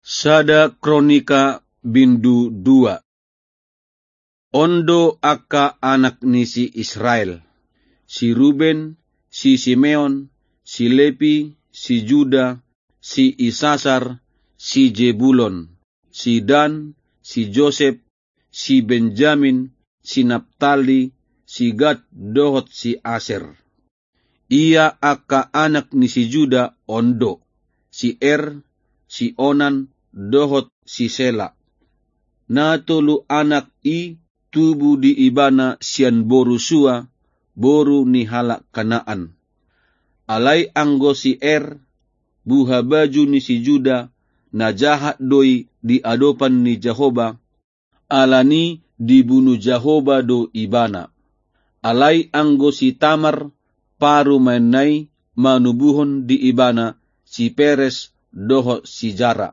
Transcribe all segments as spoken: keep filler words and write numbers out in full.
Sada Kronika bindu dua. On do angka anak ni si Israel: si Ruben, si Simeon, si Lepi, si Juda, si Isasar, si Jebulon, si Dan, si Josep, si Benjamin, si Naptali, si Gad dohot si Aser. Ia angka anak ni si Juda on do: si Er, si Onan, dohot si Sela. Na tolu anak i tubu di ibana sian boru Sua, boru ni halak Kanaan. Alai anggo si Er, buhabaju ni si Juda, na jahat do i di adopan ni Jahowa, alani dibunu Jahowa do ibana. Alai anggo si Tamar, parumaenna i, manubuhon di ibana si Peres dohot si Zara.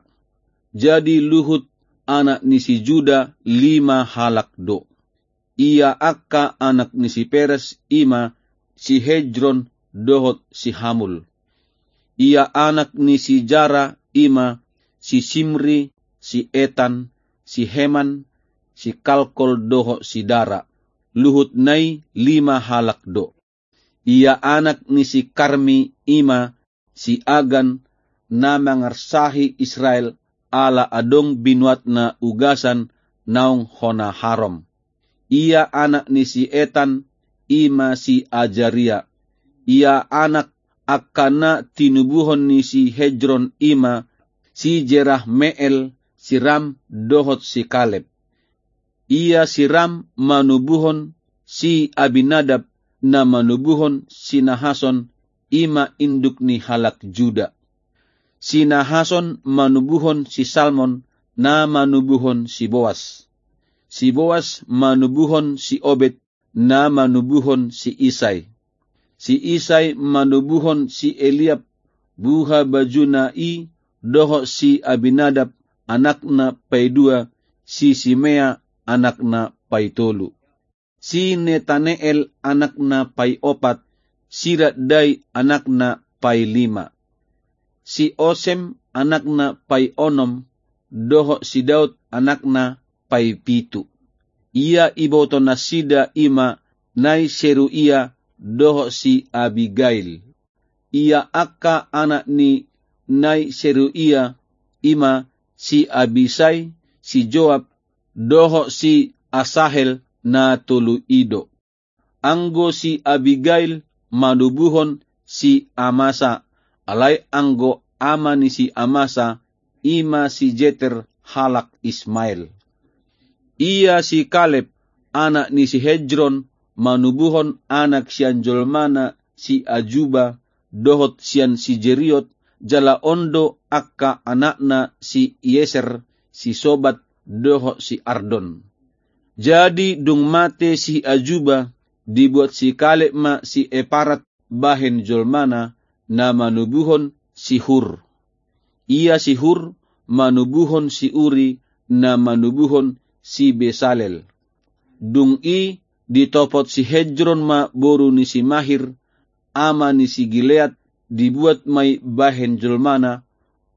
Jadi luhut anak ni si Juda lima halak do. Ia angka anak ni si Peres i ma si Hesron dohot si Hamul. Ia anak ni si Zara i ma si Simri, si Etan, si Heman, si Kalkol dohot si Dara. Luhutna i lima halak do. Ia anak ni si Karmi i ma si Agan, na mangarsahi Israel ala adong binuatna ugasan naung hona harom. Ia anak ni si Etan i ma si Azaria. Ia anak angka na tinubuhon ni si Hesron i ma si Jerahmeel, si Ram dohot si Kaleb. Ia si Ram manubuhon si Abinadab, na manubuhon si Nahason, i ma induk ni halak Juda. Si Nahason manubuhon si Salmon, na manubuhon si Boas. Si Boas manubuhon si Obed, na manubuhon si Isai. Si Isai manubuhon si Eliab, buhabajuna i, dohot si Abinadab, anakna paidua, si Simea, anakna paitolu. Si Netaneel, anakna paiopat, si Raddai, anakna pailima. Si Osem, anakna paionom, dohot si Daud, anakna paipitu. Ia ibotonasida i ma nai Seruia dohot si Abigail. Ia angka anak ni nai Seruia i ma si Abisai, si Joab, dohot si Asahel, na tolu i do. Anggo si Abigail manubuhon si Amasa, alai anggo ama ni si Amasa i ma si Jeter halak Ismael. Ia si Kaleb, anak ni si Hesron, manubuhon anak sian jolmana si Ajuba, dohot sian si Jeriot, jala on do angka anakna si Ieser, si Sobat, dohot si Ardon. Jadi dung mate si Ajuba, dibuat si Kaleb ma si Eparat bahen jolmana, na manubuhon si Hur. Ia si Hur manubuhon si Uri, na manubuhon si Besalel. Dung i ditopot si Hesron ma boru ni si Mahir, ama ni si Gilead, dibuat ma i bahen jolmana,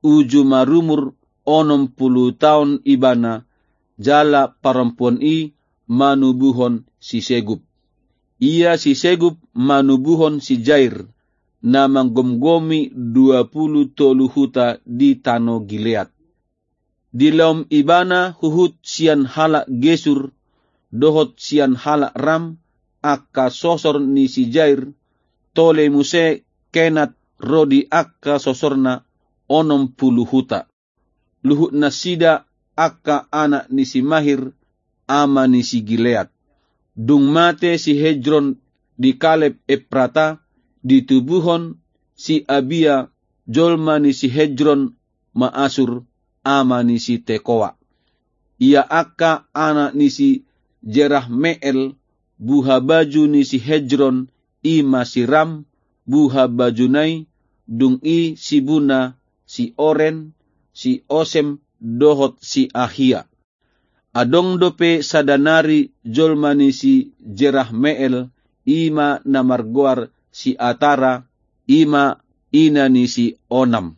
uju marumur onom pulu taon ibana, jala parompuan i manubuhon si Segub. Ia si Segub manubuhon si Jair, na manggomgomi dua pulu tolu huta di tano Gilead. Dilaom ibana huhut sian halak Gesur, dohot sian halak Ram, angka sosor ni si Jair, tole muse Kenat ro di angka sosorna, onom pulu huta. Luhutnasida angka anak ni si Mahir, ama ni si Gilead. Dung mate si Hesron di Kaleb Eprata, ditubuhon si Abia, jolma ni si Hesron, ma Asur, ama ni si Tekoa. Ia angka anak ni si Jerahmeel, buhabaju ni si Hesron, i ma si Ram, buhabajuna i, dung i si Buna, si Oren, si Osem, dohot si Ahia. Adong dope sada nari jolma ni si Jerahmeel, i ma na margoar si Atara, i ma ina ni si Onam.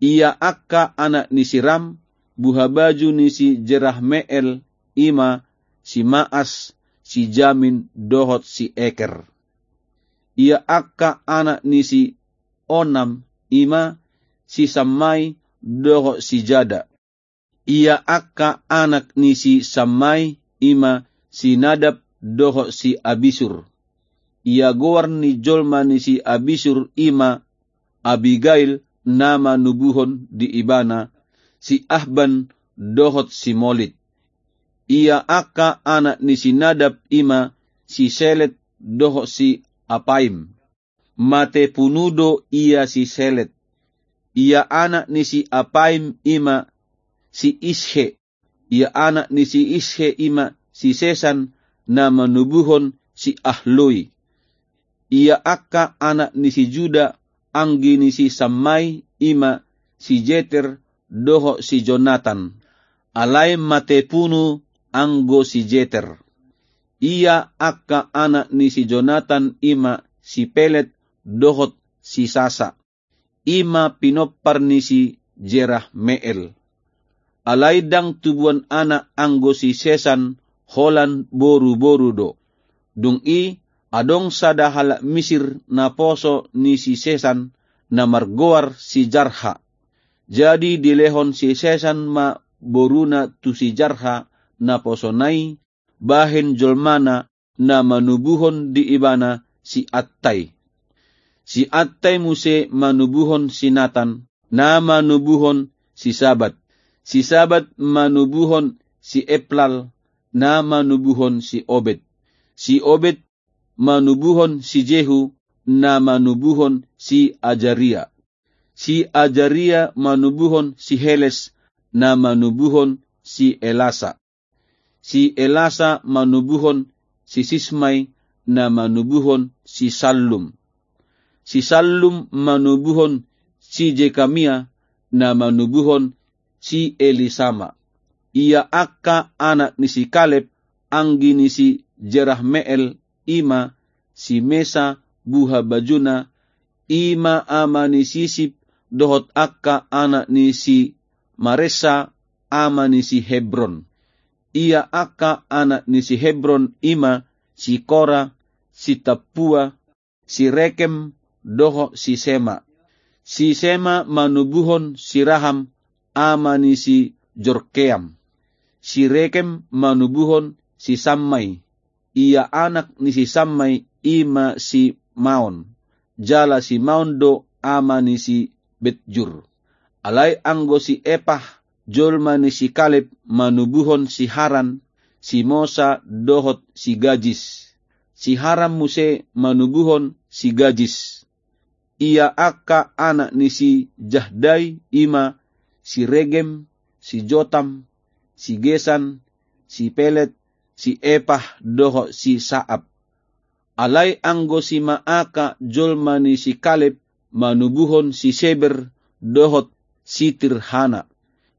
Ia angka anak ni si Ram, buhabaju ni si Jerahmeel, i ma si Maas, si Jamin, dohot si Eker. Ia angka anak ni si Onam, i ma si Sammai, dohot si Jada. Ia angka anak ni si Sammai, i ma si Nadab, dohot si Abisur. Ia goar ni jolma ni si Abisur, i ma Abigail, na manubuhon di ibana si Ahban, dohot si Molit. Ia angka anak ni si Nadab, i ma si Selet, dohot si Apaim. Mate punu do ia si Selet. Ia anak ni si Apaim, i ma si Ishe. Ia anak ni si Ishe, i ma si Sesan, na manubuhon si Ahloi. Ia angka anak ni si Juda, anggi ni si Sammai, i ma si Jeter, dohot si Jonatan. Alai mate punu anggo si Jeter. Ia angka anak ni si Jonatan, i ma si Pelet, dohot si Sasa. I ma pinompar ni si Jerahmeel. Alai ndang tubuan anak anggo si Sesan, holan boruboru do. Dung i, adong sada halak Misir naposo ni si Sesan, na margoar si Jarha. Jadi dilehon si Sesan ma boruna tu si Jarha naposona i, bahen jolmana na manubuhon di ibana si Attai. Si Attai muse manubuhon si Natan, na manubuhon si Sabat. Si Sabat manubuhon si Eplal, na manubuhon si Obed. Si Obed manubuhon si Jehu, na manubuhon si Ajaria. Si Ajaria manubuhon si Heles, na manubuhon si Elasa. Si Elasa manubuhon si Sismai, na manubuhon si Sallum. Si Sallum manubuhon si Jekamia, na manubuhon si Elisama. Ia angka anak ni si Kaleb, anggi ni si Jerahmeel, i ma si Mesa, buhabajuna, i ma ama ni si Sip, dohot angka anak ni si Maresa, ama ni si Hebron. Ia angka anak ni si Hebron, i ma si Kora, si Tappua, si Rekem, dohot si Sema. Si Sema manubuhon si Raham, ama ni si Jorkeam. Si Rekem manubuhon si Sammai. Ia anak ni si Sammai, i ma si Maon. Jala si Maon do ama ni si Betjur. Alai anggo si Epah, jolma ni si Kaleb, manubuhon si Haran, si Mosa, dohot si Gajis. Si Haran muse manubuhon si Gajis. Ia angka anak ni si Jahdai, i ma si Regem, si Jotam, si Gesan, si Pelet, si Epah, dohot si Saap. Alai anggo si Maaka, jolma ni si Kaleb, manubuhon si Seber, dohot si Tirhana.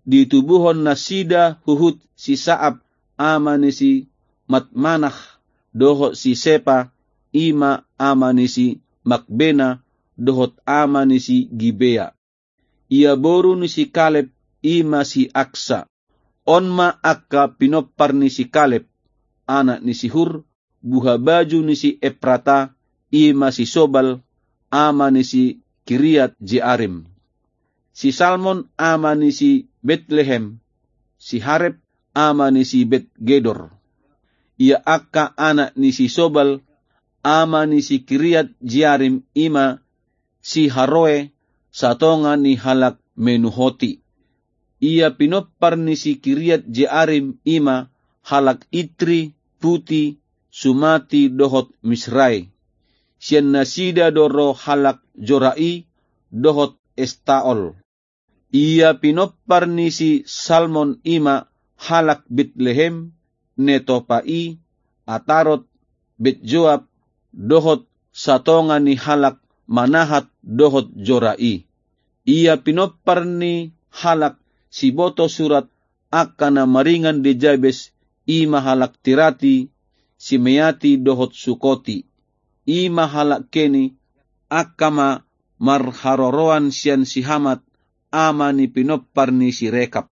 Ditubuhon nasida huhut si Saap, ama ni si Matmanah, dohot si Sepa, i ma ama ni si Makbena, dohot ama ni si Gibea. Ia boru ni si Kaleb, i ma si Aksa. On ma angka pinompar ni si Kaleb, anak ni si Hur, buhabaju ni si Eprata, i ma si Sobal, ama ni si Kiriat Jearim. Si Salmon, ama ni si Betlehem, si Harep, ama ni si Bet Gedor. Ia angka anak ni si Sobal, ama ni si Kiriat Jearim, i ma si Haroe, satonga ni halak Menuhoti. Ia pinompar ni si Kiriat Jearim, i ma halak Itri, Puti, Sumati, dohot Misrai. Sian nasida do ro halak Jorai, dohot Estaol. Ia pinompar ni si Salmon, i ma halak Betlehem, Netopai, Atarot, Betjoab, dohot satonga ni halak Manahat dohot Jorai. Ia pinompar ni halak siboto surat angka na maringan di Jabes, i ma halak Tirati, Simeati dohot Sukoti. I ma halak Keni, angka ma marharoroan sian si Hamat, ama ni pinompar ni si Rekab.